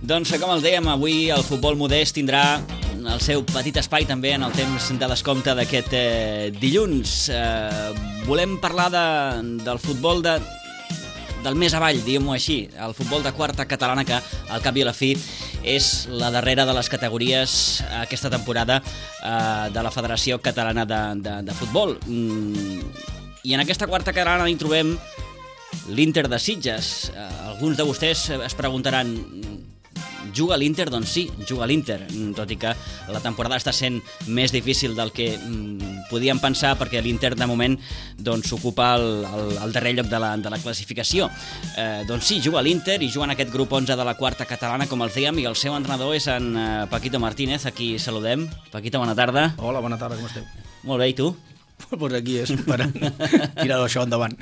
Doncs com els dèiem, avui el futbol modest tindrà el seu petit espai també en el temps de descompte d'aquest dilluns. Volem parlar del futbol del més avall, diguem-ho així, el futbol de quarta catalana, que al cap i a la fi és la darrera de les categories aquesta temporada de la Federació Catalana de Futbol. I en aquesta quarta catalana hi trobem l'Inter de Sitges. Alguns de vostès es preguntaran: juga l'Inter? Doncs sí, juga l'Inter, tot i que la temporada està sent més difícil del que podíem pensar, perquè l'Inter de moment ocupa el darrer lloc de la classificació. Doncs sí, juga l'Inter i juga en aquest grup 11 de la quarta catalana, com els dèiem, i el seu entrenador és en Paquito Martínez, a qui saludem. Paquito, bona tarda. Hola, bona tarda, com esteu? Molt bé, i tu? Pues aquí esperant tirar això endavant.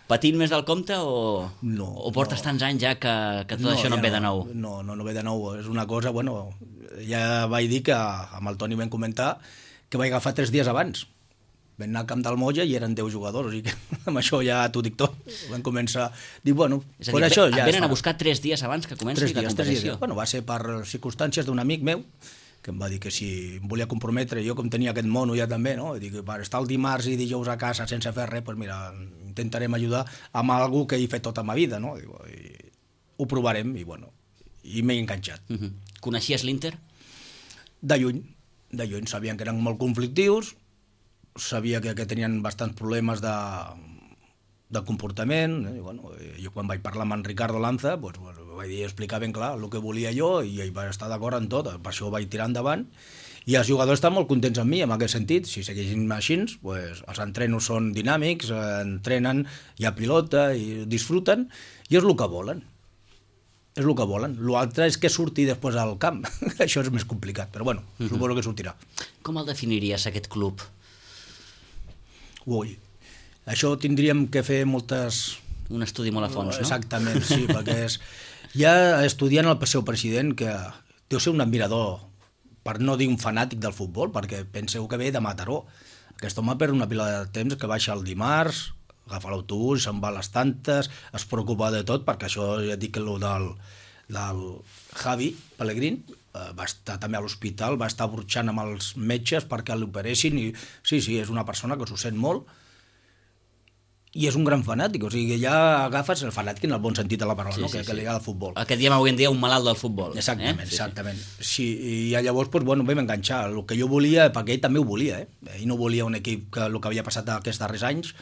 Patint més del compte o portes tants anys ja que tot això no et ve de nou? No ve de nou. És una cosa, bueno, ja vaig dir que amb el Toni vam comentar que vaig agafar 3 dies abans. Vam anar al camp del Molla i eren 10 jugadors, o sigui que amb això ja t'ho dic tot. Vam començar a dir, bueno, és a dir, això ja venen a buscar 3 dies abans que comenci la competició. Bueno, va ser per circumstàncies d'un amic meu, que em va dir que si em volia comprometre, jo com tenia aquest mono ja també, no? Dic, per estar el dimarts i dijous a casa sense fer res, doncs mira, intentarem ajudar amb algú que he fet tota la meva vida, no? I ho provarem i bueno, i m'he enganxat. Coneixies l'Inter? De lluny, sabien que eren molt conflictius, sabia que tenien bastants problemes de comportament, i bueno, jo quan vaig parlar amb en Ricardo Lanza, doncs, vaig dir, explicar ben clar el que volia jo, i ell va estar d'acord en tot, per això ho vaig tirar endavant, i els jugadors estan molt contents amb mi, en aquest sentit. Si segueixin així, doncs, els entrenos són dinàmics, entrenen, hi ha pilota, i disfruten, i és el que volen. És el que volen. L'altre és que surti després al camp. Això és més complicat, però bueno, suposo que sortirà. Com el definiries, aquest club? Ui, això tindríem que fer moltes... Un estudi molt a fons, no? Exactament, sí, perquè ja estudiant el seu president, que deu ser un admirador, per no dir un fanàtic del futbol, perquè penseu que ve de Mataró. Aquest home perd una pila de temps, que baixa el dimarts, agafa l'autobús, se'n va a les tantes, es preocupa de tot, perquè això ja dic que el del Javi Pellegrín va estar també a l'hospital, va estar burxant amb els metges perquè l'operessin, i sí, és una persona que s'ho sent molt, i és un gran fanàtic, o sigui que ja agafes el fanàtic en el bon sentit de la paraula, no? Que li agrada el futbol. El que diem avui en dia un malalt del futbol. Exactament. Sí, i llavors vam enganxar. El que jo volia, perquè ell també ho volia, ell no volia un equip que el que havia passat aquests darrers anys,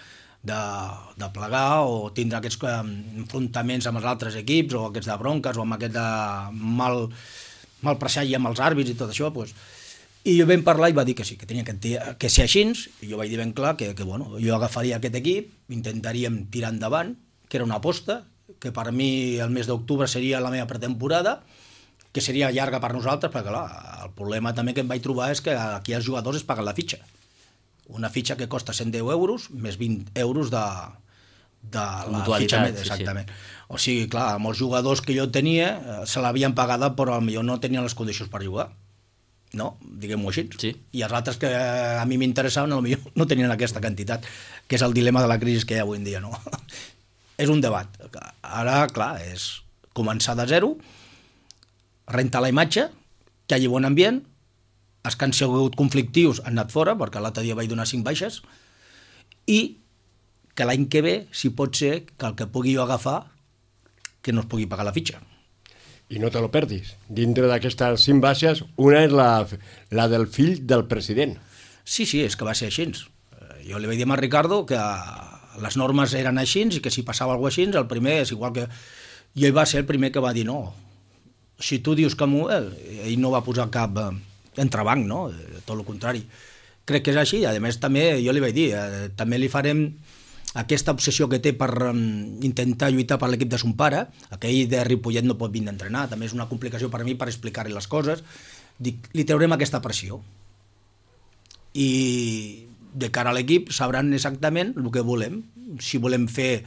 de plegar o tindre aquests enfrontaments amb els altres equips, o aquests de bronques, o amb aquest de mal presagi amb els àrbits i tot això, doncs. I jo vam parlar i va dir que sí, que tenia que ser així, i jo vaig dir ben clar que bueno, jo agafaria aquest equip, intentaríem tirar endavant, que era una aposta, que per mi el mes d'octubre seria la meva pretemporada, que seria llarga per nosaltres, perquè clar, el problema també que em vaig trobar és que aquí els jugadors es paguen la fitxa. Una fitxa que costa 110 euros, més 20 euros de la fitxa. Exactament. Sí. O sigui, clar, molts jugadors que jo tenia se l'havien pagada, però potser no tenien les condicions per jugar. No, diguem-ho així. Sí. I els altres que a mi m'interessaven potser no tenien aquesta quantitat, que és el dilema de la crisi que hi ha avui en dia, no? És un debat. Ara, clar, és començar de zero, rentar la imatge, que hi hagi bon ambient, els que han sigut conflictius han anat fora, perquè l'altre dia vaig donar 5 baixes, i que l'any que ve, si pot ser, que el que pugui jo agafar, que no es pugui pagar la fitxa. I no te lo perdis. Dintre d'aquestes 5 baixes, una és la del fill del president. Sí, és que va ser així. Jo li vaig dir a Ricardo que les normes eren així i que si passava alguna cosa així, el primer és igual que... I ell va ser el primer que va dir no. Si tu dius que ell no va posar cap entrebanc, no? Tot el contrari. Crec que és així. A més, també jo li vaig dir, també li farem aquesta obsessió que té per intentar lluitar per l'equip de son pare, aquell de Ripollet no pot vindre a entrenar, també és una complicació per a mi per explicar-li les coses, dic, li traurem aquesta pressió. I de cara a l'equip sabran exactament el que volem. Si volem fer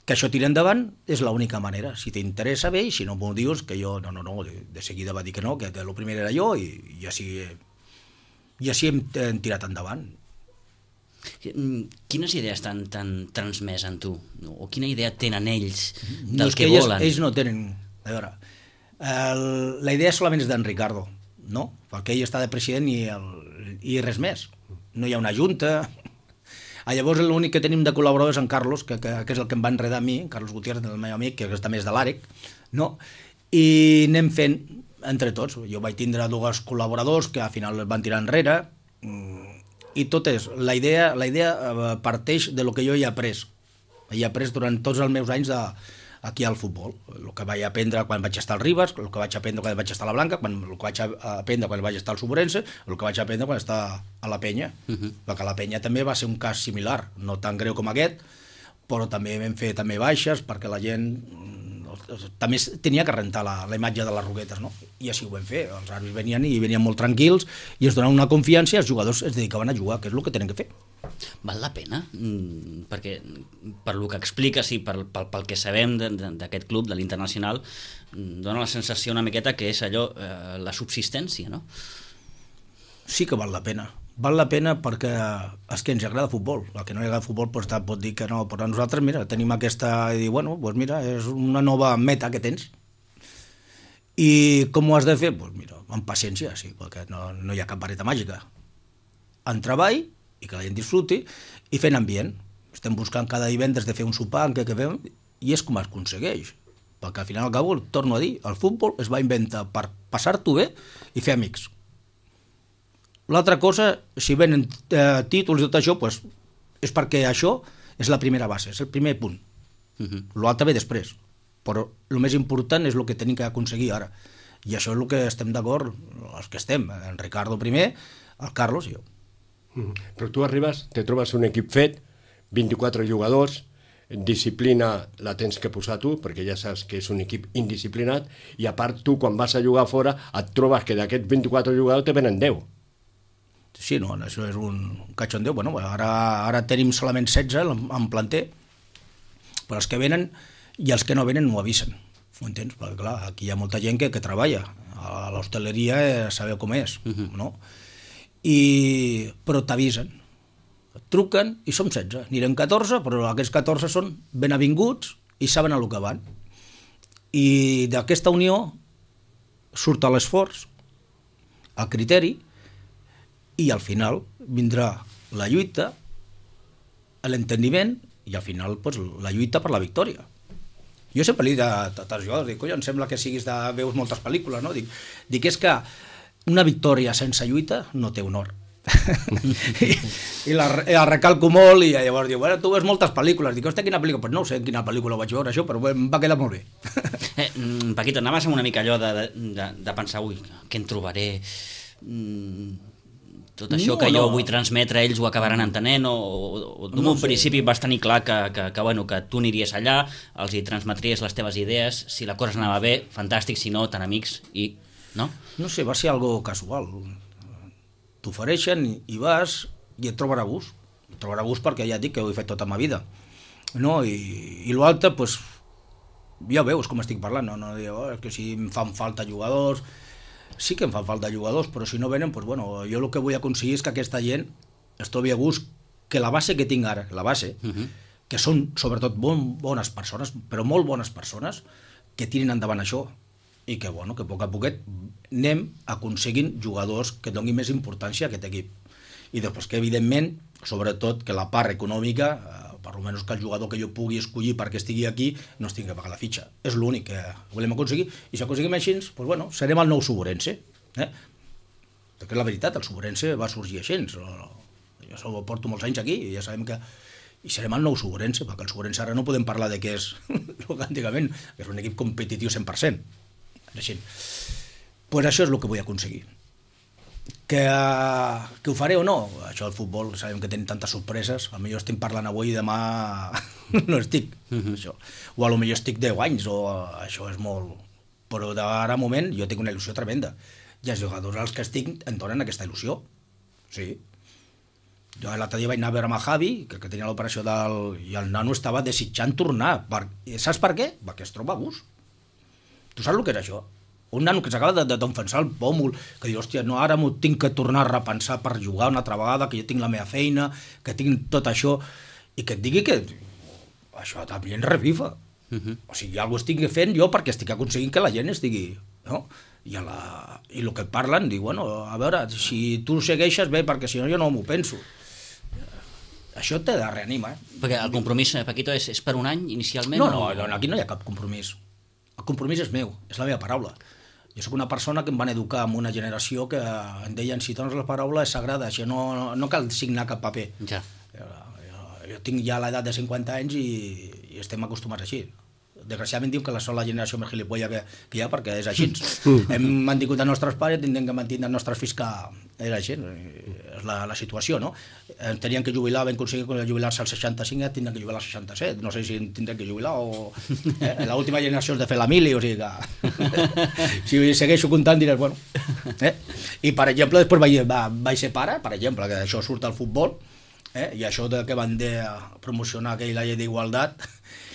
que això tiri endavant, és l'única manera. Si t'interessa bé, i si no m'ho dius, que jo no, de seguida va dir que no, que el primer era jo, i així hem tirat endavant. Quines idees t'han transmès en tu? O quina idea tenen ells del que volen? Ells no tenen... A veure, La idea solament és d'en Ricardo, no? Perquè ell està de president i res més. No hi ha una junta. Llavors l'únic que tenim de col·laborador és en Carlos, que és el que em va enredar a mi, Carlos Gutiérrez, el meu amic, que també és de l'Àrec, no? I anem fent entre tots. Jo vaig tindre 2 col·laboradors que al final van tirar enrere, i tot és, la idea parteix de lo que jo he après. He après durant tots els meus anys aquí al futbol. El que vaig aprendre quan vaig estar al Ribas, el que vaig aprendre quan vaig estar a la Blanca, el que vaig aprendre quan vaig estar al Sobrense, el que vaig aprendre quan estar a la Penya. Perquè la Penya també va ser un cas similar, no tan greu com aquest, però també vam fer també baixes perquè la gent també tenia que rentar la imatge de les Roquetes, no? I així ho vam fer. Els àrbitres venien molt tranquils i es donaven una confiança i els jugadors es dedicaven a jugar, que és el que tenen que fer. Val la pena? Perquè per lo que expliques i pel que sabem d'aquest club, de l'Internacional, dona la sensació una miqueta que és allò, la subsistència, no? Sí que val la pena. Val la pena perquè és que ens agrada futbol. El que no li agrada futbol pot dir que no, però nosaltres, mira, tenim aquesta... I dir, bueno, doncs mira, és una nova meta que tens. I com ho has de fer? Doncs mira, amb paciència, sí, perquè no hi ha cap vareta màgica. En treball, i que la gent disfruti, i fent ambient. Estem buscant cada divendres de fer un sopar en què fem, i és com es aconsegueix. Perquè al final al cabo, torno a dir, el futbol es va inventar per passar-t'ho bé i fer amics. L'altra cosa, si venen títols i tot això, doncs és perquè això és la primera base, és el primer punt. L'altre ve després, però el més important és el que tenim que aconseguir ara. I això és el que estem d'acord, els que estem, en Ricardo primer, el Carlos i jo. Però tu arribes, te trobes un equip fet, 24 jugadors, disciplina la tens que posar tu, perquè ja saps que és un equip indisciplinat, i a part tu, quan vas a jugar fora, et trobes que d'aquests 24 jugadors te venen 10. Sí, no, això és un cachondeo. Bueno, ara tenim solament 16 en planter, però els que venen i els que no venen no ho avisen. Ho entens? Perquè, clar, aquí hi ha molta gent que treballa. A l'hostaleria sabeu com és, no? Però t'avisen. Et truquen i som 16. Anirem 14, però aquests 14 són ben avinguts i saben a lo que van. I d'aquesta unió surt l'esforç, el criteri, i al final vindrà la lluita, l'entendiment i al final pues, la lluita per la victòria. Jo sempre li dic a tots jugadors, dic, em sembla que veus moltes pel·lícules, no? Dic, és que una victòria sense lluita no té honor. I la recalco molt i llavors diu, bueno, tu veus moltes pel·lícules. Dic, hòstia, quina pel·lícula? Pues no sé en quina pel·lícula vaig veure això, però em va quedar molt bé. Paquito, anaves amb una mica allò de pensar, ui, què en trobaré? Tot això que jo vull transmetre ells ho acabaran entenent o d'un principi vas tenir clar que tu aniries allà, els hi transmetries les teves idees, si la cosa anava bé, fantàstic, si no, tan amics i... no? No sé, va ser algo casual. T'ofereixen i vas i et trobarà gust. Et trobarà gust perquè ja et dic que ho he fet tota la meva vida. No? I l'altre, doncs, ja veus com estic parlant, no? Que si em fan falta jugadors... Sí que em fan falta jugadors, però si no venen, doncs, bueno, jo el que vull aconseguir és que aquesta gent es trobi a gust, que la base que tinc ara, la base, que són sobretot bones persones, però molt bones persones, que tirin endavant això, i que, bueno, que a poc a poquet anem aconseguint jugadors que donin més importància a aquest equip. I després que, evidentment, sobretot que la part econòmica, per almenys que el jugador que jo pugui escollir perquè estigui aquí no es tingui que pagar la fitxa. És l'únic que volem aconseguir. I si aconseguim així, doncs, bueno, serem el nou Sobrense. Perquè la veritat, el Sobrense va sorgir així. Jo porto molts anys aquí i ja sabem que... I serem el nou Sobrense, perquè el Sobrense ara no podem parlar de què és el que antigament, que és un equip competitiu 100%. Així. Pues això és el que vull aconseguir. Que ho faré o no? Això del futbol, sabem que tenim tantes sorpreses, potser estem parlant avui i demà no estic. Això. O potser estic 10 anys, o això és molt... Però d'ara moment jo tinc una il·lusió tremenda. I els jugadors als que estic em donen aquesta il·lusió. Sí. Jo l'altre dia vaig anar a veure amb el Javi, que tenia l'operació i el nano estava desitjant tornar. Saps per què? Perquè es troba a gust. Tu saps el que és això? Un nano que s'acaba d'enfonsar el pòmul, que diu, hòstia, no, ara m'ho tinc que tornar a repensar per jugar una altra vegada, que jo tinc la meva feina, que tinc tot això, i que et digui que això també ens revifa. O sigui, alguna cosa estic fent jo perquè estic aconseguint que la gent estigui... No? I el que parlen, diu, bueno, a veure, si tu segueixes bé, perquè si no jo no m'ho penso. Això te reanima, Perquè el compromís, Paquito, és per un any inicialment? No, aquí no hi ha cap compromís. El compromís és meu, és la meva paraula. Jo sóc una persona que em van educar en una generació que em deien, si dones la paraula és sagrada, això no cal signar cap paper. Ja. Jo tinc ja l'edat de 50 anys i estem acostumats així. Desgraciadament diu que som la generació més gilipolla que hi ha perquè és així. Hem mantingut els nostres pares, tindrem que mantenir els nostres fills que és així. És la situació, no? Tenien que jubilar, vam aconseguir jubilar-se als 65, tindrem que jubilar als 67. No sé si tindrem que jubilar o... L'última generació és de fer la mili, o sigui que... Si segueixo comptant diràs, bueno... I, per exemple, després vaig ser pare, per exemple, que això surt al futbol, i això que van promocionar aquella llei d'igualtat,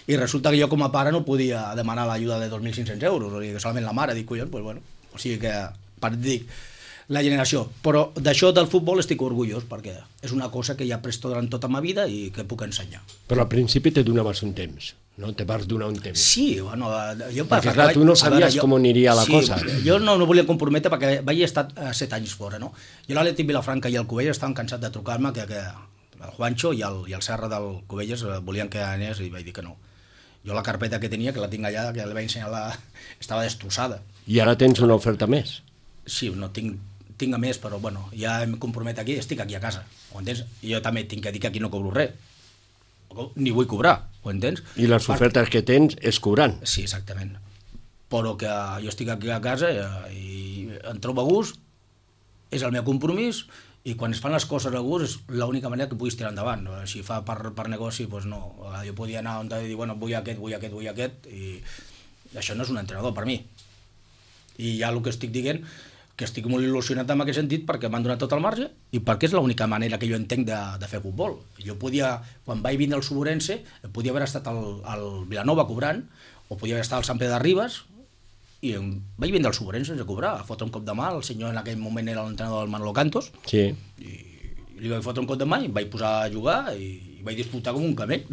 i resulta que jo com a pare no podia demanar l'ajuda de 2.500 euros, o sigui que solament la mare, dic, collons, pues bueno, o sigui que, per dir, la generació. Però d'això del futbol estic orgullós, perquè és una cosa que ja presto durant tota ma vida i que puc ensenyar. Però al principi te donaves un temps, no? Te vas donar un temps. Sí, bueno... Perquè clar, tu no sabies com aniria la cosa. Jo no volia comprometre perquè vaig estar 7 anys fora, no? Jo l'Atlètic Vilafranca i el Cubelles estaven cansats de trucar-me que el Juancho i el Serra del Cubelles volien que anés i vaig dir que no. Jo la carpeta que tenia, que la tinc allà, que la vaig ensenyar, estava destrossada. I ara tens una oferta més? Sí, no tinc a més, però bueno, ja em compromet aquí, estic aquí a casa, ho entens? I jo també tinc que dir que aquí no cobro res, ni vull cobrar, ho entens? I les ofertes que tens és cobrant? Sí, exactament. Però que jo estic aquí a casa i em trobo a gust, és el meu compromís, i quan es fan les coses a gust és l'única manera que puguis tirar endavant. Si fa per negoci, doncs no. Jo podia anar on i dir, bueno, vull aquest, i això no és un entrenador per mi. I ja el que estic dient, que estic molt il·lusionat en aquest sentit perquè m'han donat tot el marge i perquè és l'única manera que jo entenc de fer futbol. Jo podia, quan vaig vindre al Suburense, podia haver estat al Vilanova cobrant, o podia haver estat al Sant Pere de Ribes, i vaig vindre al Suburense sense cobrar, a fotre un cop de mà, el senyor en aquell moment era l'entrenador del Manolo Cantos, sí. I li vaig fotre un cop de mà i em vaig posar a jugar i vaig disfrutar com un camell,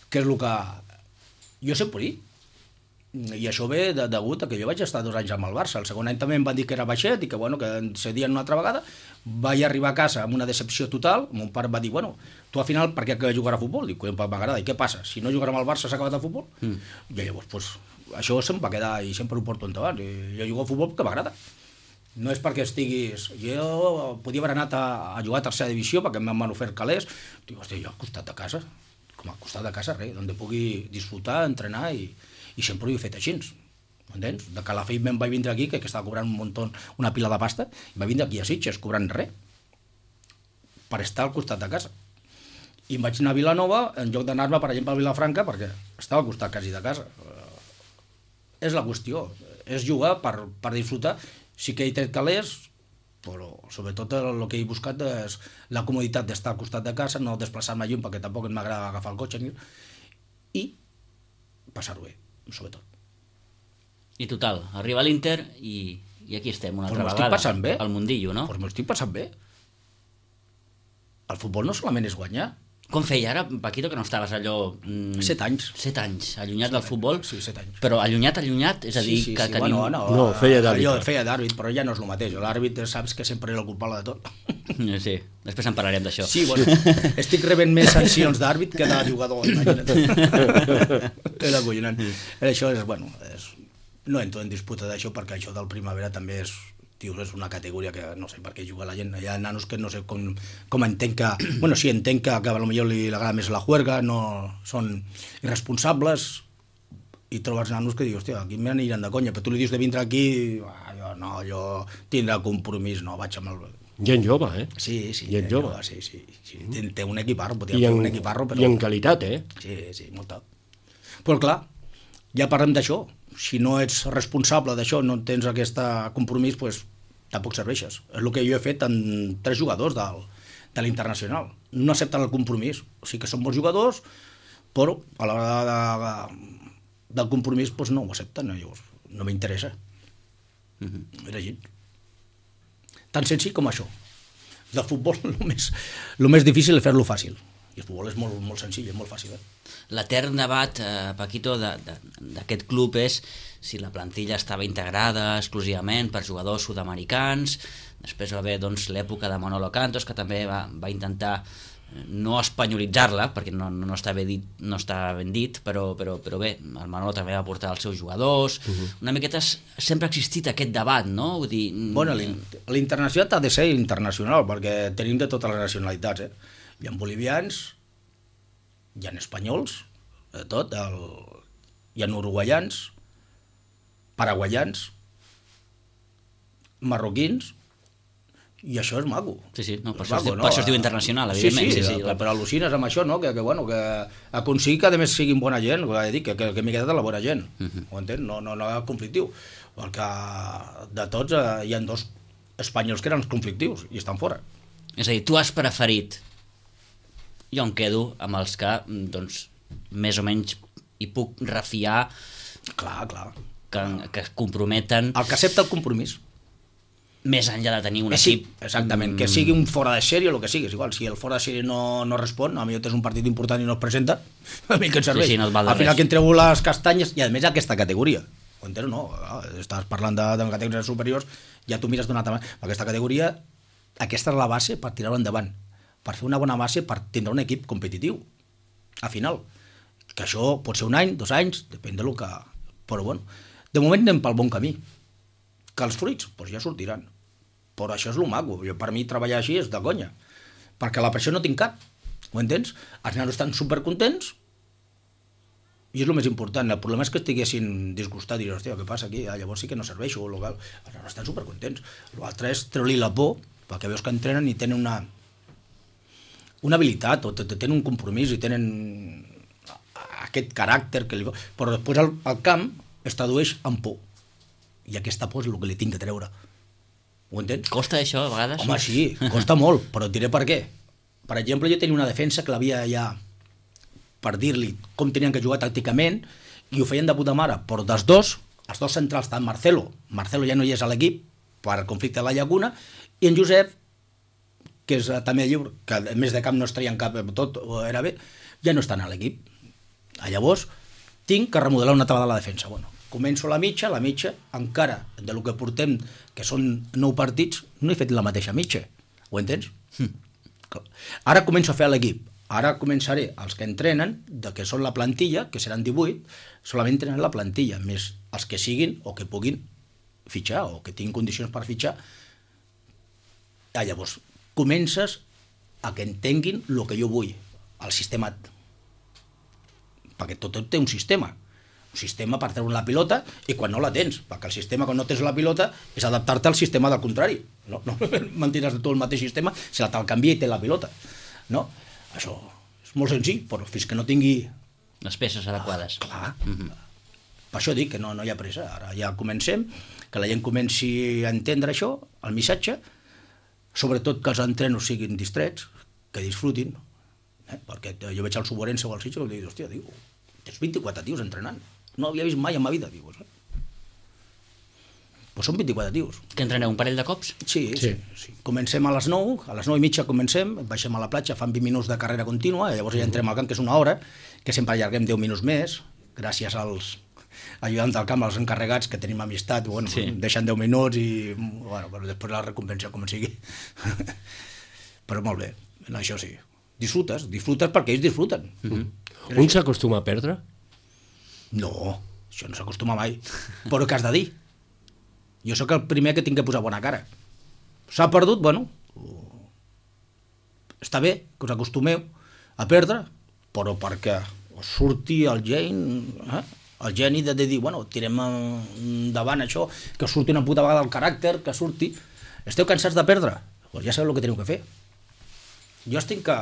que és el que jo sé per dir. I això ve degut a que jo vaig estar 2 anys amb el Barça. El segon any també em van dir que era baixet i que, bueno, que em cedien una altra vegada. Vaig arribar a casa amb una decepció total. Mon pare va dir, bueno, tu al final per què jugar a futbol? Dic, m'agrada. I què passa? Si no jugar amb el Barça s'ha acabat el futbol? I llavors, doncs, això se'm va quedar i sempre ho porto endavant. Jo jugo a futbol perquè m'agrada. No és perquè estiguis... Jo podia haver anat a jugar a tercera divisió perquè m'han ofert calés. Dic, hòstia, jo al costat de casa, com al costat de casa, res, on pugui disfrutar, entrenar i sempre ho he fet així, entens? De Calafell me'n vaig vindre aquí, que estava cobrant un muntó, una pila de pasta, i vaig vindre aquí a Sitges cobrant res, per estar al costat de casa. I em vaig anar a Vilanova, en lloc d'anar-me, per exemple, a Vilafranca, perquè estava al costat quasi de casa. És la qüestió, és jugar per disfrutar. Sí que he tret calés, però sobretot el que he buscat és la comoditat d'estar al costat de casa, no desplaçar-me lluny, perquè tampoc m'agrada agafar el cotxe, i passar-ho bé, sobretot. I total, arriba l'Inter i aquí estem una altra vegada. M'ho estic passant bé. Al mundillo, no? Doncs m'ho estic passant bé. El futbol no solament és guanyar. Com feia ara, Paquito, que no estaves allò... 7 anys. 7 anys, allunyat del futbol? Sí, 7 anys. Però allunyat, és a dir, que tenim... Bueno, no, feia d'àrbit. Jo feia d'àrbit, però ja no és el mateix. L'àrbit saps que sempre és el culpable de tot. Sí, després en parlarem d'això. Sí, bueno, estic rebent més sancions d'àrbit que de jugador, imagina't. És acollonant. Això és, bueno, no entro en disputa d'això perquè això del Primavera també és una categoria que no sé per què juga la gent. Hi ha nanos que no sé com entenc que... Bueno, sí, entenc que potser li agrada més la juerga, no són irresponsables, i trobes nanos que dius, hòstia, aquí m'aniran de conya, però tu li dius de vindre aquí, jo tindrà compromís, no, vaig amb el... Gent jove, eh? Sí, gent jove. Sí. Té un equiparro, podria fer un equiparro, però... I en qualitat, eh? Sí, molta. Però clar, ja parlem d'això. Si no ets responsable d'això, no tens aquest compromís, doncs tampoc serveixes. És el que jo he fet amb 3 jugadors de l'Internacional. No accepten el compromís. O sigui que són bons jugadors, però a l'hora del compromís doncs no ho accepten. Llavors, no m'interessa. Era així. Tan senzill com això. Del futbol, el més difícil és fer-lo fàcil. I el futbol és molt, molt senzill, és molt fàcil. L'etern debat, Paquito, d'aquest club és si la plantilla estava integrada exclusivament per jugadors sud-americans. Després va haver doncs, l'època de Manolo Cantos, que també va intentar no espanyolitzar-la, perquè no està ben dit, però bé, el Manolo també va portar els seus jugadors. Una miqueta sempre ha existit aquest debat, no? Vull dir... Bueno, l'internacional ha de ser internacional, perquè tenim de totes les nacionalitats, Hi ha bolivians, hi ha espanyols, de tot, hi ha uruguaians, paraguaians, marroquins, i això és maco. Sí, no, per això es diu internacional, evidentment. Sí, però al·lucines amb això, no? Que aconseguir que a més siguin bona gent, que m'he quedat la bona gent, ho entens? No és conflictiu, perquè de tots hi ha 2 espanyols que eren conflictius i estan fora. És a dir, tu has preferit, jo em quedo amb els que, doncs, més o menys hi puc refiar, clar, que es comprometen... El que accepta el compromís. Més enllà de tenir un equip... Exactament, que sigui un fora de sèrie o el que sigui, és igual, si el fora de sèrie no respon, a mi tens un partit important i no es presenta, a mi que et serveix. No al final que entreu les castanyes, i a més aquesta categoria, ho entens, no? Estàs parlant de categories superiors, ja tu mires d'una altra manera. Aquesta categoria, aquesta és la base per tirar-ho endavant, per fer una bona base per tindre un equip competitiu, al final. Que això pot ser 1 any, 2 anys, depèn del que... Però bueno, de moment anem pel bon camí. Que els fruits doncs ja sortiran, però això és el maco. Per mi treballar així és de conya, perquè la pressió no tinc cap, ho entens? Els nanos estan supercontents i és el més important. El problema és que estiguessin disgustats i dir, hòstia, què passa aquí? Llavors sí que no serveixo, els nanos estan supercontents. L'altre és treu-li la por, perquè veus que entrenen i tenen una habilitat, o tenen un compromís i tenen aquest caràcter que però després el camp es tradueix en por. I aquesta por és el que li tinc de treure. Ho entens? Costa això, a vegades? Home, sí, costa molt, però et diré per què. Per exemple, jo tenia una defensa que l'havia ja, per dir-li com tenien que jugar tàcticament, i ho feien de puta mare, però els dos centrals, tant Marcelo ja no hi és a l'equip, per conflicte a la Llacuna, i en Josep, que és també lliure, que a més de camp no es traien cap, tot era bé, ja no estan a l'equip. Llavors, tinc que remodelar una altra vegada la defensa. Bueno, començo la mitja, encara de lo que portem, que són 9 partits, no he fet la mateixa mitja, ho entens? Ara començo a fer l'equip, ara començaré els que entrenen, que són la plantilla, que seran 18, solament entrenen la plantilla, més els que siguin o que puguin fitxar, o que tinguin condicions per fitxar. Llavors, comences a que entenguin el que jo vull, el sistema, perquè tot té un sistema per treure la pilota i quan no la tens, perquè el sistema quan no tens la pilota és adaptar-te al sistema del contrari, no mantindràs tu el mateix sistema si te'l canvia i té la pilota, no? Això és molt senzill, però fins que no tingui les peces adequades. Clar. Per això dic que no hi ha pressa, ara ja comencem, que la gent comenci a entendre això, el missatge, sobretot que els entrenos siguin distrets, que disfrutin, perquè jo veig el Suborense o el Sitges i dic, hòstia, tens 24 tios entrenant, no havia vist mai en ma vida, dius. Pues són 24 tios. Que entreneu un parell de cops? Sí. Comencem a les 9, a les 9:30 comencem, baixem a la platja, fan 20 minuts de carrera contínua, llavors ja entrem al camp, que és 1 hora, que sempre allarguem 10 minuts més, gràcies als ajudants del camp, als encarregats, que tenim amistat, deixen 10 minuts i però després la recompensa com sigui. Però molt bé, això sí. Disfrutes perquè ells disfruten. Un s'acostuma a perdre? No, això no s'acostuma mai. Però què has de dir? Jo sóc el primer que tinc que posar bona cara. S'ha perdut, està bé que us acostumeu a perdre, però perquè us surti el geni de dir, tirem endavant això, que us surti una puta vegada el caràcter, que surti... Esteu cansats de perdre? Doncs ja sabeu el que teniu que fer. Jo estic que,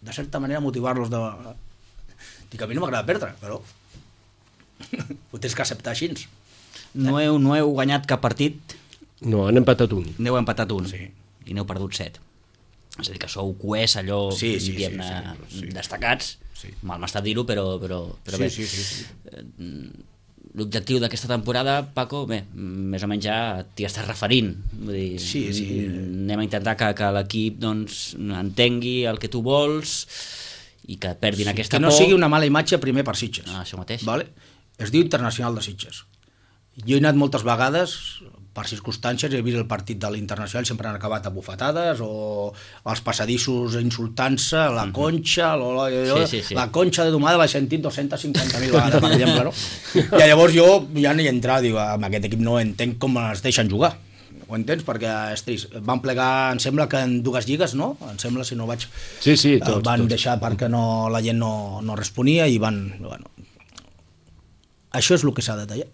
de certa manera, motivar-los de... Dic, a mi no m'agrada perdre, però ho tens que acceptar així. No heu guanyat cap partit? No, han empatat un. N'heu empatat un, sí. I n'heu perdut 7. És a dir, que sou coers, allò, diguem-ne, destacats. Sí. Mal m'està dir-ho, però bé. Sí. l'objectiu d'aquesta temporada, Paco, bé, més o menys ja t'hi estàs referint. Vull dir, Sí. anem a intentar que l'equip doncs, entengui el que tu vols i que perdin aquesta que por. no sigui una mala imatge primer per Sitges. Això mateix. Vale? Es diu Internacional de Sitges. Jo he anat moltes vegades, per circumstàncies, he vist el partit de l'Internacional, sempre han acabat a bufetades o als passadissos insultant-se, la conxa, la conxa de domada l'he sentit 250.000 vegades, per exemple, no? I llavors jo ja no hi entrava, dic, amb aquest equip no entenc com es deixen jugar. Ho entens? Perquè és trist. Van plegar, em sembla que en 2 lligues, no? Em sembla, si no vaig... Sí, tots. Van deixar perquè la gent no responia i van... Bueno, això és el que s'ha de tallar.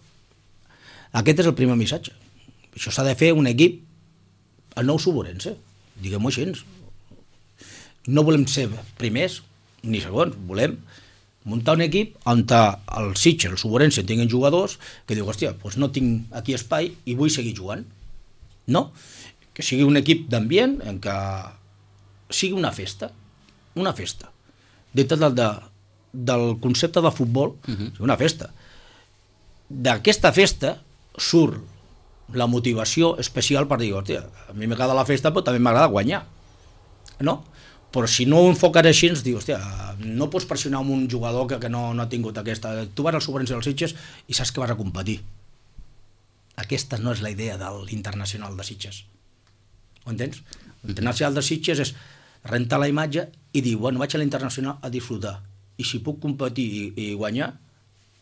Aquest és el primer missatge. Això s'ha de fer un equip, el nou Suborense, diguem-ho així. No volem ser primers ni segons, volem muntar un equip on el Sitges, el Suborense, tinguin jugadors que diu, hòstia, doncs no tinc aquí espai i vull seguir jugant. No, que sigui un equip d'ambient en què sigui una festa, dintre del concepte de futbol, una festa. D'aquesta festa surt la motivació especial per dir, hòstia, a mi m'agrada la festa però també m'agrada guanyar, no? Però si no ho enfoques així ens diu, hòstia, no pots pressionar un jugador que no ha tingut aquesta... Tu vas al Suborense dels Sitges i saps que vas a competir. Aquesta no és la idea de l'Internacional de Sitges. Ho entens? L'Internacional de Sitges és rentar la imatge i dir, bueno, vaig a l'Internacional a disfrutar. I si puc competir i guanyar,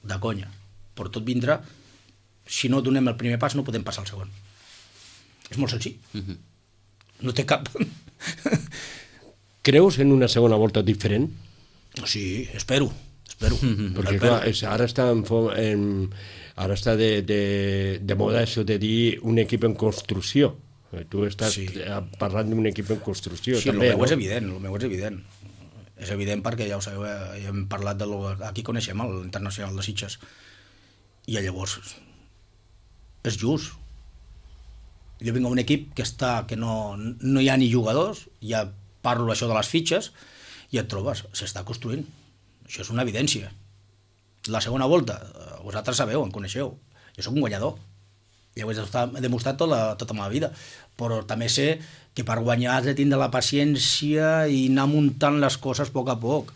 de conya. Però tot vindrà, si no donem el primer pas no podem passar al segon. És molt senzill. No té cap... Creus en una segona volta diferent? Sí, espero. Perquè clar, ara està de moda això de dir un equip en construcció. Tu estàs parlant d'un equip en construcció. Sí, també, el meu no? és evident, És evident perquè ja ho sabeu, ja hem parlat aquí coneixem l'Internacional de Sitges. I llavors és just. Jo vinc a un equip que no hi ha ni jugadors, ja parlo això de les fitxes, i et trobes, s'està construint. Això és una evidència. La segona volta, vosaltres sabeu, em coneixeu, jo sóc un guanyador. Ja ho he demostrat tota la meva vida, però també sé que per guanyar has de tindre la paciència i anar muntant les coses a poc,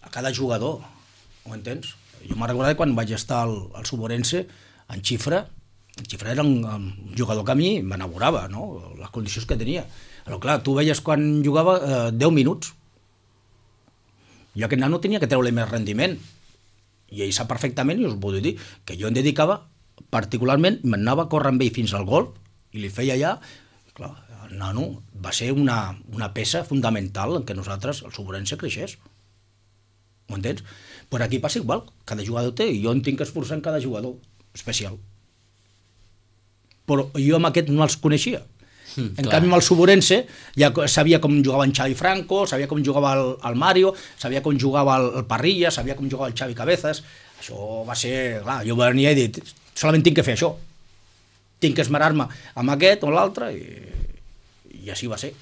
a cada jugador, ho entens? Jo me'n recordo quan vaig estar al Suborense, en Xifra era un jugador que a mi m'enamorava, no? Les condicions que tenia. Però clar, tu veies quan jugava 10 minuts. Jo aquest nano tenia que treure més rendiment. I ell sap perfectament, i us ho puc dir, que jo em dedicava particularment, m'anava a córrer amb ell fins al gol, i li feia allà. Clar, el nano va ser una peça fundamental en què nosaltres, el Suborense, creixés. Ho entens? Però aquí passa igual, cada jugador té, i jo em tinc que esforçar en cada jugador especial. Però jo amb aquest no els coneixia. En canvi, amb el Suborense ja sabia com jugava en Xavi Franco, sabia com jugava el Mario, sabia com jugava el Parrilla, sabia com jugava el Xavi Cabezas. Això va ser... Clar, jo venia i dit, solament tinc que fer això. Tinc que esmerar-me amb aquest o l'altre i així va ser.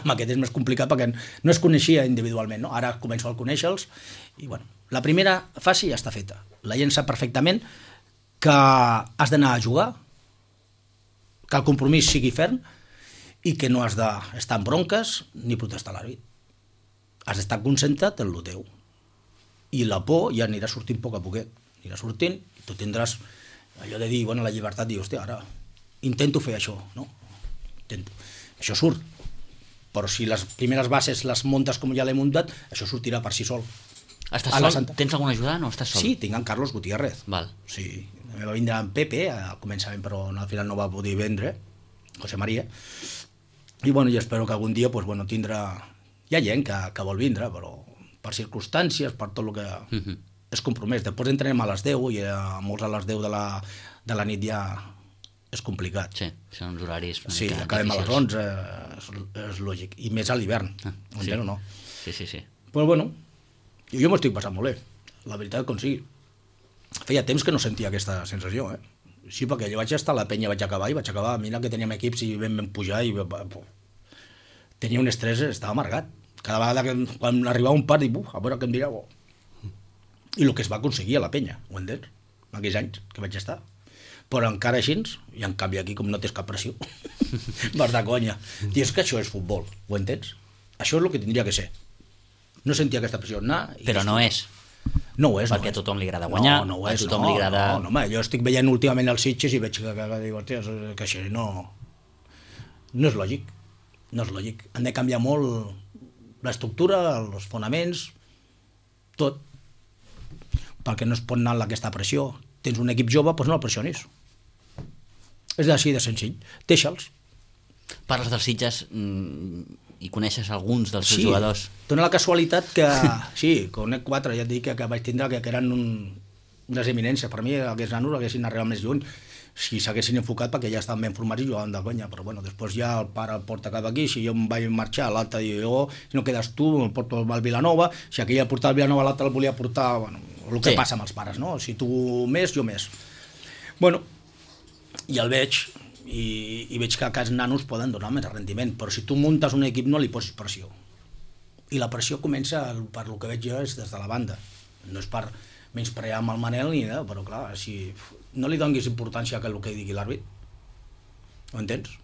Amb aquest és més complicat perquè no es coneixia individualment, no? Ara començo a conèixer-los i, bueno, la primera fase ja està feta. La gent sap perfectament que has d'anar a jugar, que el compromís sigui ferm i que no has d'estar en bronques ni protestar a l'àrbit. Has d'estar concentrat en el teu. I la por ja anirà sortint a poquet. Anirà sortint i tu tindràs allò de dir, bueno, la llibertat, dir, hòstia, ara intento fer això, no? Intento. Això surt. Però si les primeres bases les muntes com ja l'he muntat, això sortirà per si sol. Estàs sol? Tens algun ajudant o estàs sol? Sí, tinc en Carlos Gutiérrez. Val. Sí, també va vindre en Pepe al començament, però al final no va poder vendre, José María. I bueno, jo espero que algun dia pues, bueno, tindrà... Hi ha gent que vol vindre, però per circumstàncies, per tot el que és compromès. Després entrenem a les 10 i a molts a les 10 de la nit ja és complicat. Sí, són uns horaris... Sí, acabem a les 11, és lògic. I més a l'hivern, sí. O no? Sí. Però bueno, jo m'ho estic passant molt bé, la veritat com sigui. Feia temps que no sentia aquesta sensació, Sí, perquè jo vaig estar a la penya, vaig acabar, mira que teníem equips i vam pujar i tenia un estrès, estava amargat. Cada vegada que quan arribava un part, dic, a veure què em dirà. I el que es va aconseguir a la penya, ho entens? aquells anys que vaig estar. Però encara així, i en canvi aquí com no tens cap pressió, vas de conya. I és que això és futbol, ho entens? Això és el que tindria que ser. No sentia aquesta pressió. Però no és. No ho és, perquè a tothom li agrada guanyar, no ho és, a tothom li agrada... No, home, jo estic veient últimament els Sitges i veig que dic, hòstia, que això no és lògic, no és lògic. Han de canviar molt l'estructura, els fonaments, tot, perquè no es pot anar amb aquesta pressió. Tens un equip jove, doncs no el pressionis. És així de senzill. Deixa'ls. Parles dels Sitges i coneixes alguns dels seus jugadors. Dóna la casualitat que... Sí, conec 4, ja et dic que vaig tindre que eren unes eminències. Per mi, aquests nanos haguessin arribat més lluny si s'haguessin enfocat perquè ja estaven ben formats i jugaven de conya. Però bueno, després ja el pare el porta cap aquí, si jo em vaig marxar, l'altre diu, si no quedes tu, el porto al Vilanova, si aquell el portava al Vilanova, l'altre el volia portar... Bueno, el que passa amb els pares, no? Si tu més, jo més. Bueno, i el veig... I veig que aquests nanos poden donar més rendiment, però si tu muntes un equip no li posis pressió, i la pressió comença, per lo que veig jo, és des de la banda. No és per menysprear amb el Manel ni res, però clar, si no li donis importància a el que digui l'àrbit, ho entens?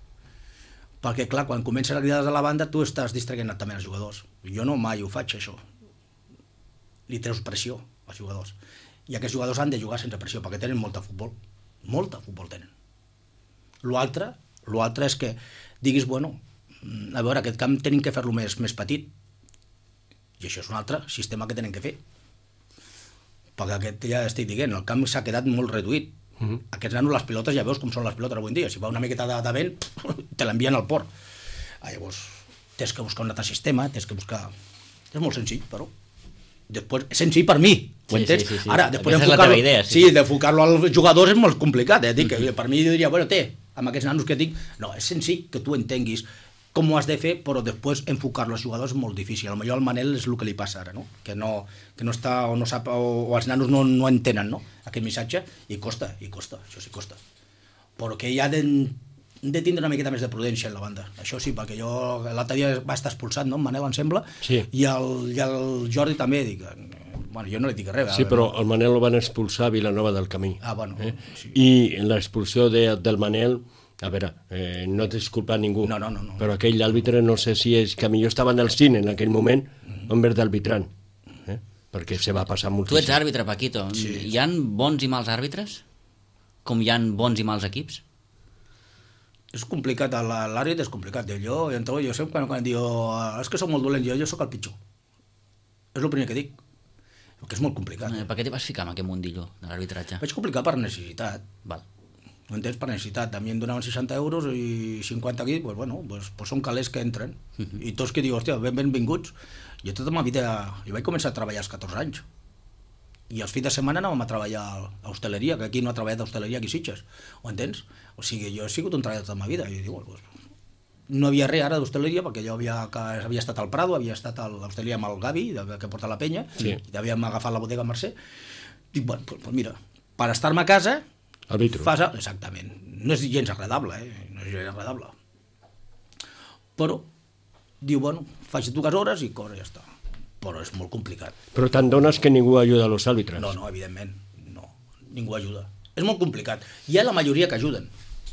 Perquè clar, quan comences a cridar des de la banda tu estàs distraient també els jugadors. Jo no mai ho faig, això. Li treus pressió als jugadors, i aquests jugadors han de jugar sense pressió perquè tenen molta futbol tenen. L'altre és que diguis, bueno, a veure, aquest camp tenim que fer-lo més petit, i això és un altre sistema que tenen que fer, perquè aquest, ja estic dient, el camp s'ha quedat molt reduït. Aquests nanos, les pilotes, ja veus com són les pilotes avui en dia, si va una miqueta de vent, te l'envien al port. Llavors, tens que buscar un altre sistema, tens que buscar... És molt senzill, però... Després, és senzill per mi, ho entens? Sí. Ara, després d'enfocar-lo als jugadors és molt complicat, Dic, per mi jo diria, bueno, amb aquests nanos que dic, no, és senzill que tu entenguis com ho has de fer, però després enfocar-lo als jugadors és molt difícil. Potser al Manel és el que li passa ara, no? Que no està, o no sap, o els nanos no entenen, no? Aquest missatge, i costa, això sí costa. Però que ja de tindre una miqueta més de prudència en la banda. Això sí, perquè jo l'altre dia va estar expulsat, no? Manel, em sembla, sí. I el Jordi també, dic, bueno, jo no li dic res. Sí, però el Manel el van expulsar a Vilanova del Camí. Bueno. Sí. I l'expulsió del Manel, a veure, no t'he disculpat ningú, no. Però aquell àrbitre no sé si és que millor estava en el cine en aquell moment, en vez d'arbitrant, perquè se va passar moltíssim. Tu ets àrbitre, Paquito. Sí. Hi ha bons i mals àrbitres? Com hi ha bons i mals equips? És complicat, l'àrbit és complicat. Jo sempre quan diu és que soc molt dolent, jo soc el pitjor. És el primer que dic. Perquè és molt complicat. Per què t'hi vas ficar amb aquest mundillo de l'arbitratge? Vaig complicar per necessitat. Val. Ho entens? Per necessitat. A mi em donaven 60 euros i 50 aquí, doncs bueno, són calés que entren. I tots que diuen, hòstia, benvinguts. Jo tota ma vida, jo vaig començar a treballar als 14 anys. I els fins de setmana anàvem a treballar a hostaleria, que aquí no ha treballat a hostaleria aquí a Sitges. Ho entens? O sigui, jo he sigut un treballador tota ma vida. I dic, no havia res ara d'hostaleria, perquè jo havia estat al Prado, havia estat a l'hostaleria amb el Gavi, que porta la penya, sí. I havíem agafat la bodega Mercè. Dic, bueno, doncs mira, per estar-me a casa... Arbitro. Exactament. No és gens agradable, No és gens agradable. Però, diu, bueno, faig 2 hores i corre, ja està. Però és molt complicat. Però te'n dones que ningú ajuda a los àrbitres? No, evidentment, no. Ningú ajuda. És molt complicat. Hi ha la majoria que ajuden,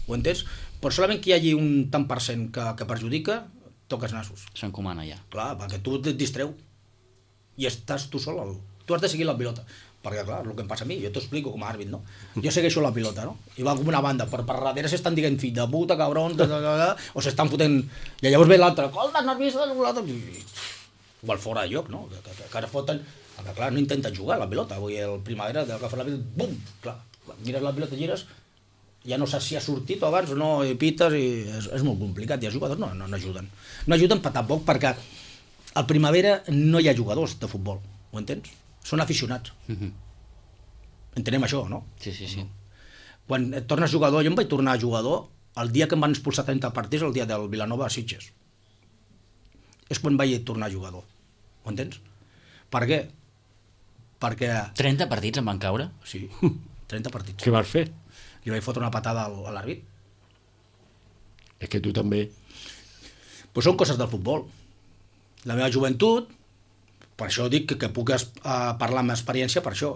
ho entens? Però solament que hi hagi un tant per cent que perjudica, toques nassos. S'encomana ja. Clar, perquè tu et distreu i estàs tu sol. Tu has de seguir la pilota. Perquè, clar, el que em passa a mi, jo t'ho explico com a àrbit, no? Jo segueixo la pilota, no? I va com una banda, per darrere s'estan dient fill de puta, cabron, o s'estan fotent... I llavors ve l'altre, colta, nerviosa, o al fora de lloc, no? Que ara foten... Que, clar, no intenten jugar la pilota. Avui el Primavera, del que fa la pilota, bum! Clar, mires la pilota, gires, ja no saps si ha sortit o abans o no, i pites, i és molt complicat. I els jugadors no ajuden. No ajuden tampoc perquè al Primavera no hi ha jugadors de futbol, ho entens? Són aficionats. Entenem això, no? Sí. Quan et tornes jugador, jo em vaig tornar jugador el dia que em van expulsar 30 partits, el dia del Vilanova a Sitges. És quan vaig tornar jugador. Ho entens? Per què? Perquè... 30 partits em van caure? Sí, 30 partits. Què vas fer? Li vaig fotre una patada a l'àrbit. És que tu també... Pues són coses del futbol. La meva joventut, per això dic que puc parlar amb experiència per això.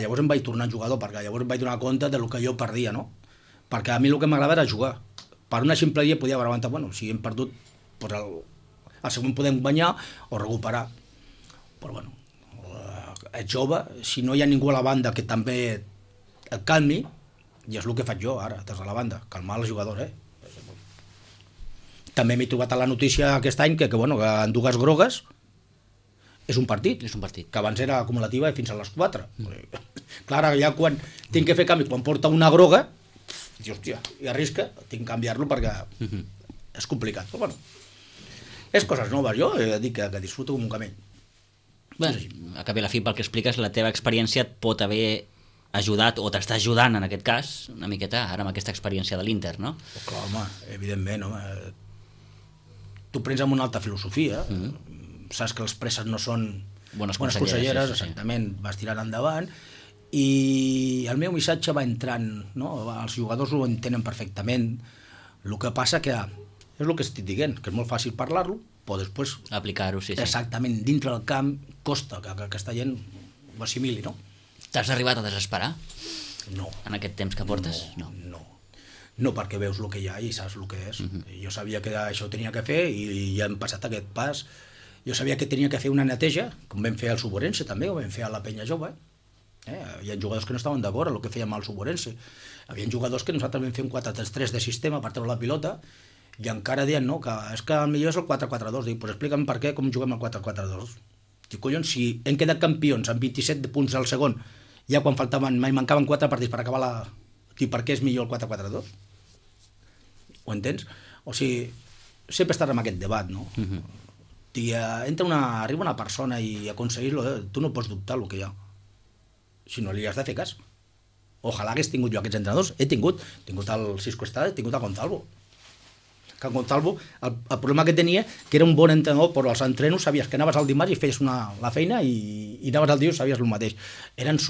Llavors em vaig tornar jugador, perquè llavors em vaig donar compte del que jo perdia, no? Perquè a mi el que m'agradava era jugar. Per una ximpleria podia haver aguantat, bueno, si hem perdut, doncs el següent podem guanyar o recuperar. Però bueno, ets jove, si no hi ha ningú a la banda que també el calmi, i és el que faig jo ara, des de la banda, calmar els jugadors, També m'he trobat a la notícia aquest any que bueno, que en dues grogues és un partit. És un partit. Que abans era acumulativa i fins a les 4. Clar, ja quan tinc que fer canvi, quan porta una groga, dius, hòstia, i arrisca, tinc que canviar-lo perquè és complicat. Però bueno, és coses noves. Jo he de dir que disfruto com un camell. Bé, a cap i a la fi, pel que expliques, la teva experiència et pot haver ajudat, o t'està ajudant en aquest cas, una miqueta ara amb aquesta experiència de l'Inter, no? Clar, home, evidentment, home. Tu prens amb una alta filosofia, saps que les presses no són bones conselleres, sí. Exactament, vas tirant endavant, i el meu missatge va entrant, no? Els jugadors ho entenen perfectament, el que passa que és el que estic dient, que és molt fàcil parlar-lo, però després aplicar-ho, sí. Exactament, dintre del camp costa que aquesta gent ho assimili, no? T'has arribat a desesperar? No. En aquest temps que portes? No, perquè veus el que hi ha i saps el que és. Jo sabia que això ho tenia que fer i ja hem passat aquest pas. Jo sabia que tenia que fer una neteja, com vam fer al Suborense també, o vam fer a la Penya Jove. Hi ha jugadors que no estaven d'acord amb el que fèiem al Suborense. Hi havia jugadors que nosaltres vam fer un 4-3-3 de sistema per treure la pilota i encara deien no, que és que el millor és el 4-4-2. Dic, pues explica'm per què, com juguem el 4-4-2. Dic, collons, si hem quedat campions amb 27 punts al segon, ja quan mancaven 4 partits per acabar la... Dic, per què és millor el 4-4-2? Ho entens? O sigui, sempre estàs amb aquest debat, no? Arriba una persona i aconseguir-lo, tu no pots dubtar el que hi ha. Si no li has de fer cas. Ojalà hagués tingut jo aquests entrenadors. He tingut el Cisco Estrada, he tingut el Gonzalvo. Que el Gonzalvo, el problema que tenia, que era un bon entrenador, però als entrenos sabies que anaves el dimarts i feies la feina i anaves el dia i sabies el mateix. Eren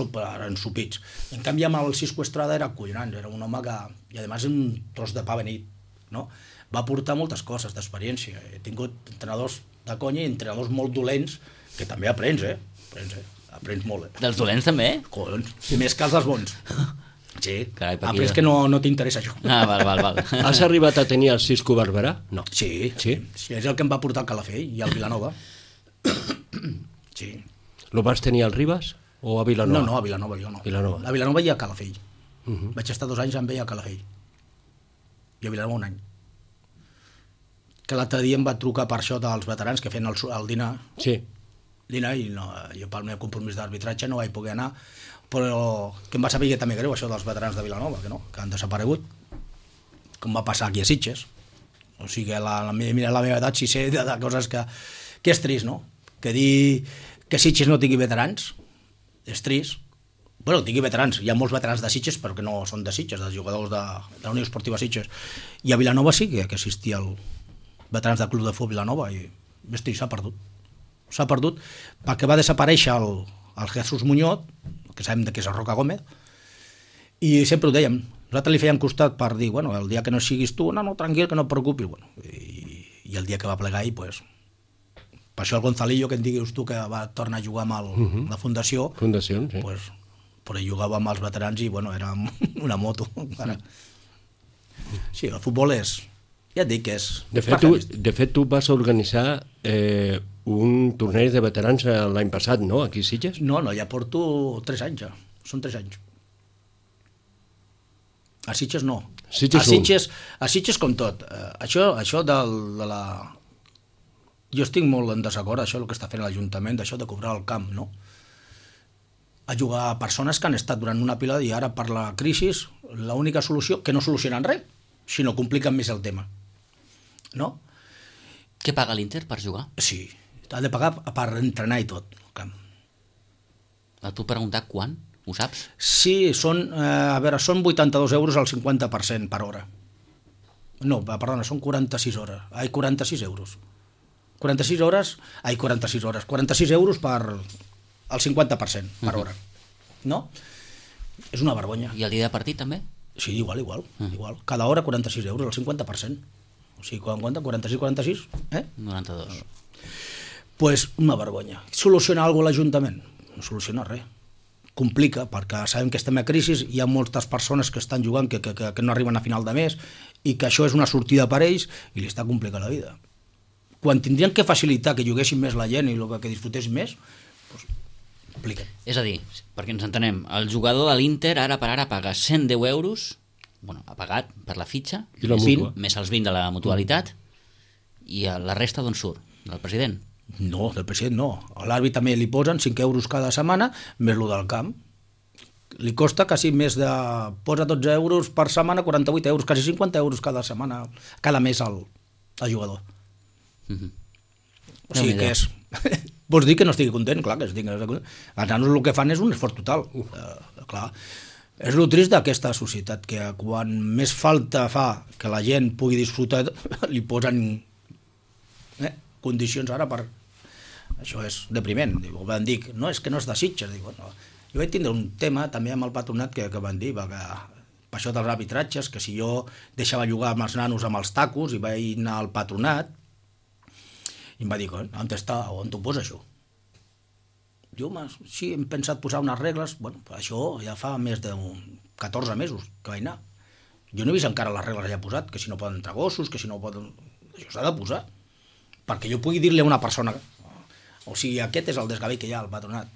ensupits. En canvi, amb el Cisco Estrada era collonant, era un home que, i a més un tros de pa beneit, no? Va portar moltes coses d'experiència. He tingut entrenadors de conya i entrenadors molt dolents, que també aprens, aprens molt. Dels dolents també? Collons, més que els dels bons. Sí, carai, aprens que no t'interessa això. Val. Has arribat a tenir el Cisco Barberà? No. Sí, és el que em va portar al Calafell i al Vilanova. Sí. Lo vas tenir al Ribas o a Vilanova? No, a Vilanova jo no. A Vilanova i a Calafell. Vaig estar 2 anys amb ell a Calafell. I a Vilanova 1 any. Que l'altre dia em va trucar per això dels veterans que feien el dinar. Sí. Dinar, i no, jo pel meu compromís d'arbitratge no vaig poder anar, però que em va saber que també greu això dels veterans de Vilanova, que han desaparegut, com va passar aquí a Sitges. O sigui, mira la meva edat, si sé de coses que és trist, no? Que dir que Sitges no tingui veterans és trist. Bueno, tingui veterans, hi ha molts veterans de Sitges, però que no són de Sitges, dels jugadors de la Unió Esportiva Sitges. I a Vilanova sí que existia el veterans del Club de Futbol Vilanova i s'ha perdut. S'ha perdut perquè va desaparèixer el Jesús Muñoz, que sabem que és el Roca Gómez, i sempre ho dèiem, nosaltres li fèiem costat per dir, bueno, el dia que no siguis tu, no, tranquil, que no et preocupis, bueno, i el dia que va plegar ell, pues, per això el Gonzalillo, que em diguis tu que va tornar a jugar amb la Fundació, sí. Pues, però ell jugava amb els veterans i, bueno, era una moto. Sí, el futbol és... Ja et dic que és... De fet, tu vas organitzar un torneig de veterans l'any passat, no?, aquí a Sitges? No, ja porto 3 anys, ja. Són 3 anys. A Sitges no. A Sitges com tot. Això de la... Jo estic molt en desacord, això el que està fent l'Ajuntament, d'això de cobrar el camp, no? A jugar a persones que han estat durant una pila i ara per la crisi l'única solució, que no solucionen res, sinó compliquen més el tema. No? Què paga l'Inter per jugar? Sí, ha de pagar per entrenar i tot. Et puc preguntar quan? Ho saps? Sí, són 82 euros al 50% per hora. No, perdona, són 46 hores. 46 euros. 46 euros per al 50% per hora. No? És una vergonya. I el dia de partit també? Sí, igual. Cada hora 46 euros, al 50%. O sigui, quan compta? 46? 92. Pues una vergonya. Soluciona alguna cosa l'Ajuntament? No soluciona res. complica, perquè sabem que estem a crisi, hi ha moltes persones que estan jugant que no arriben a final de mes i que això és una sortida per ells i li està complicant la vida. Quan tindrien que facilitar que juguessin més la gent i que disfrutessin més, doncs compliquen. És a dir, perquè ens entenem, el jugador de l'Inter ara per ara paga 110 euros, bueno, ha pagat per la fitxa, I la mútua. més els 20 de la mutualitat, i la resta d'on surt? Del president? No, del president no. A l'àrbit també li posen 5 euros cada setmana, més lo del camp. Li costa quasi més de... Posa 12 euros per setmana, 48 euros, quasi 50 euros cada setmana, cada mes al jugador. O sigui que és... Vols dir que no estigui content? Clar que estigui content. Els nanos el que fan és un esforç total. Clar. És el trist d'aquesta societat, que quan més falta fa que la gent pugui disfrutar, li posen condicions ara per... Això és depriment. Van dir, no, és que no és de Sitges. Dic, bueno, jo vaig tindre un tema també amb el patronat que van dir, que per això dels arbitratges, que si jo deixava jugar amb els nanos amb els tacos i vaig anar al patronat i em va dir, on està, on t'ho posa això? Jo, sí, hem pensat posar unes regles, bueno, això ja fa més de 14 mesos que vaig anar. Jo no he vist encara les regles ja posat, que si no poden entrar gossos, que si no poden... Això s'ha de posar, perquè jo pugui dir-li a una persona, o sigui, aquest és el desgavell que hi ha al patronat.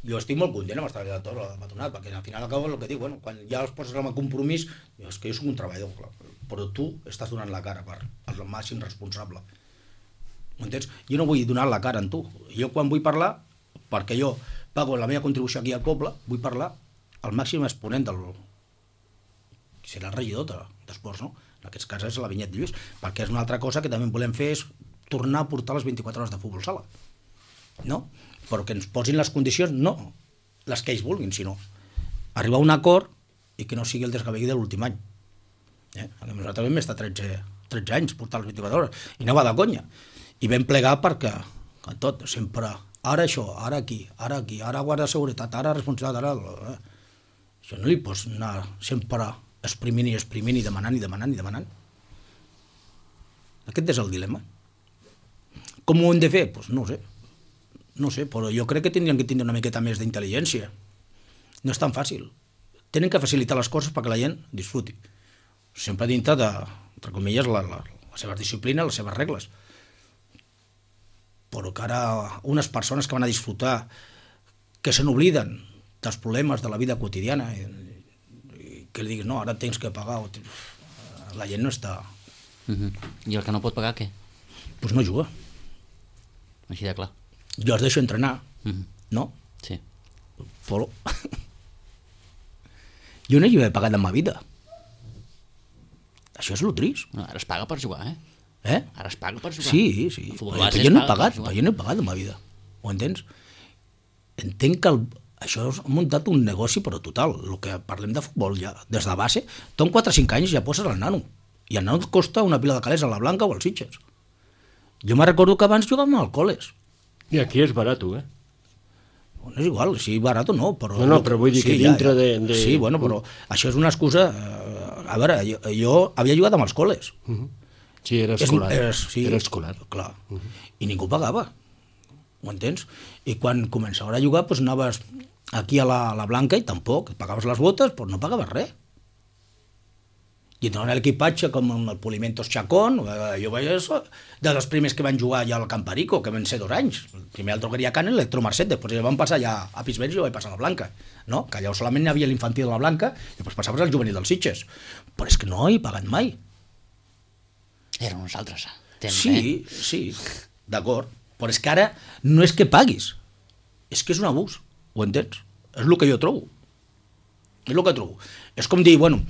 Jo estic molt content amb estar al patronat, perquè al final acabo el que dic, bueno, quan ja els poses amb el compromís, és que jo soc un treballador, clar, però tu estàs donant la cara per el màxim responsable. M'entens? Jo no vull donar la cara en tu. Jo quan vull parlar, perquè jo pago la meva contribució aquí al poble, vull parlar al màxim exponent del... serà el regidor d'esports, no? En aquest cas és la Vinyet Lluís, perquè és una altra cosa que també volem fer, és tornar a portar les 24 hores de futbol sala. No? Però que ens posin les condicions, no les que ells vulguin, sinó arribar a un acord i que no sigui el desgavell de l'últim any. Nosaltres vam estar 13 anys portar les 24 hores i anava de conya. I vam plegar perquè, en tot, sempre, ara això, ara aquí, ara guarda de seguretat, ara responsabilitat, ara... Això no li pots anar sempre exprimint i demanant. Aquest és el dilema. Com ho hem de fer? Doncs no sé, però jo crec que tindrien que tindre una miqueta més d'intel·ligència. No és tan fàcil. Tenen que facilitar les coses perquè la gent disfruti. Sempre dintre de, entre comilles, la seva disciplina, les seves regles. Però que ara unes persones que van a disfrutar, que se n'obliden dels problemes de la vida quotidiana, i que li diguis, no, ara tens que pagar, la gent no està... I el que no pot pagar, què? Doncs no juga. Així de clar. Jo els deixo entrenar, no? Sí. Però... jo no hi he pagat en ma vida. Això és el trist. No, ara es paga per jugar, Ara es paga per jugar. Sí. Però jo no he pagat, en ma vida. Ho entens? Entenc que això és muntat un negoci, però total. El que parlem de futbol ja, des de base, tu amb 4 o 5 anys ja poses el nano. I el nano et costa una pila de calés a la Blanca o als Sitges. Jo me recordo que abans jugàvem al col·les. I aquí és barat, No és igual, si barat o no, però... No, però vull dir que dintre de... Sí, bueno, però això és una excusa... A veure, jo havia jugat amb els col·les. Sí, era escolar. Era escolar. Clar. I ningú pagava. Ho entens? I quan començava a jugar, doncs anaves aquí a la Blanca i tampoc. Pagaves les botes, però no pagaves res. I en l'equipatge, com el Polimentos Chacón, jo vaig ser dels primers que van jugar ja al Camparico, que van ser 2 anys. Primer al Drogueria Can, l'Electromarcet, després van passar ja a Pisbens i jo vaig passar a la Blanca. No? Que allà solament hi havia l'infantil de la Blanca i després passaves al juvenil dels Sitges. Però és que no he pagat mai. Eren uns altres. Sí, d'acord. Però és que ara no és que paguis, és que és un abús, ho entens? És el que jo trobo. És com dir, bueno,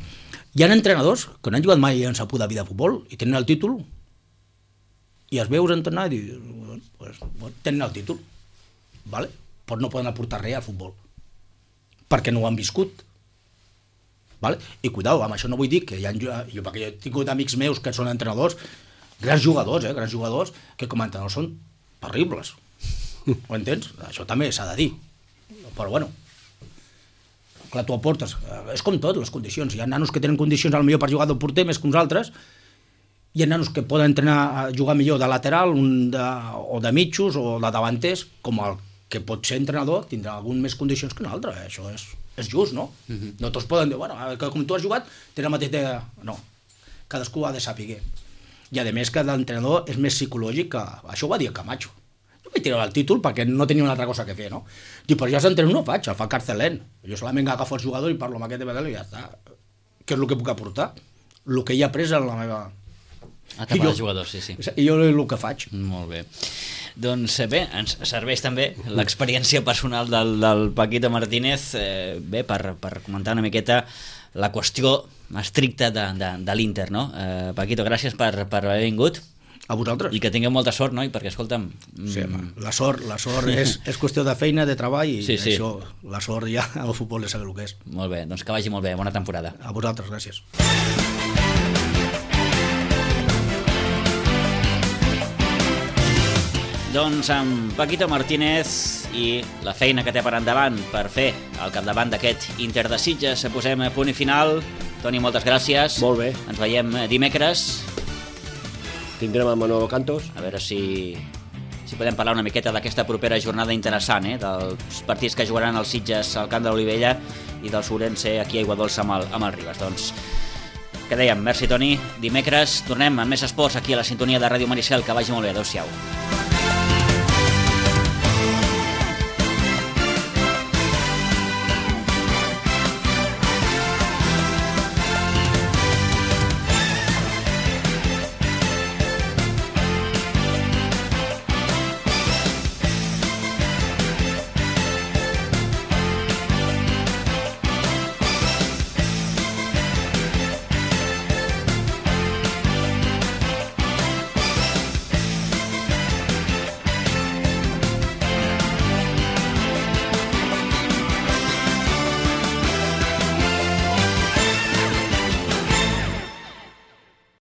hi ha entrenadors que no han jugat mai en sa puta vida de futbol i tenen el títol i els veus entrenar i dius, tenen el títol, vale? Però no poden aportar res al futbol perquè no ho han viscut. Vale? I cuidao, amb això no vull dir que hi ha, perquè jo he tingut amics meus que són entrenadors, grans jugadors que com a entrenadors són terribles. Ho entens? Això també s'ha de dir. Però bueno, clar, tu aportes, és com tot, les condicions. Hi ha nanos que tenen condicions potser per jugar de porter més que uns altres, hi ha nanos que poden entrenar a jugar millor de lateral o de mitjos o de davanters, com el que pot ser entrenador tindrà algun més condicions que un altre, això és just, no? No tots poden dir, bueno, que com tu has jugat, tens la mateixa... No, cadascú ha de saber. I a més que l'entrenador és més psicològic que... Això ho va dir Camacho. Jo vaig tirar el títol perquè no tenia una altra cosa que fer, no? Diu, però jo els entrenos no faig, el fa Carcelén. Jo solament agafo el jugador i parlo amb aquest de Bedel i ja està. Què és el que puc aportar? El que he après en la meva... Etapa de jugador, sí. I jo el que faig. Molt bé. Doncs bé, ens serveix també l'experiència personal del Paquito Martínez per comentar una miqueta la qüestió estricta de l'Inter, no? Paquito, gràcies per haver vingut. A vosaltres. I que tingueu molta sort, no? Perquè, escolta'm... Sí, la sort és qüestió de feina, de treball, i sí. això, la sort ja al futbol és el que és. Molt bé, doncs que vagi molt bé, bona temporada. A vosaltres, gràcies. Doncs amb Paquito Martínez i la feina que té per endavant per fer al capdavant d'aquest Inter de Sitges, posem punt i final. Toni, moltes gràcies. Molt bé. Ens veiem dimecres. Tindrem a Manolo Cantos. A veure si podem parlar una miqueta d'aquesta propera jornada interessant, dels partits que jugaran els Sitges al camp de l'Olivella i del Ourense aquí a Aiguadols amb el Ribes. Doncs, què dèiem? Merci, Toni. Dimecres tornem amb més esports aquí a la sintonia de Ràdio Maricel. Que vagi molt bé. Adéu-siau.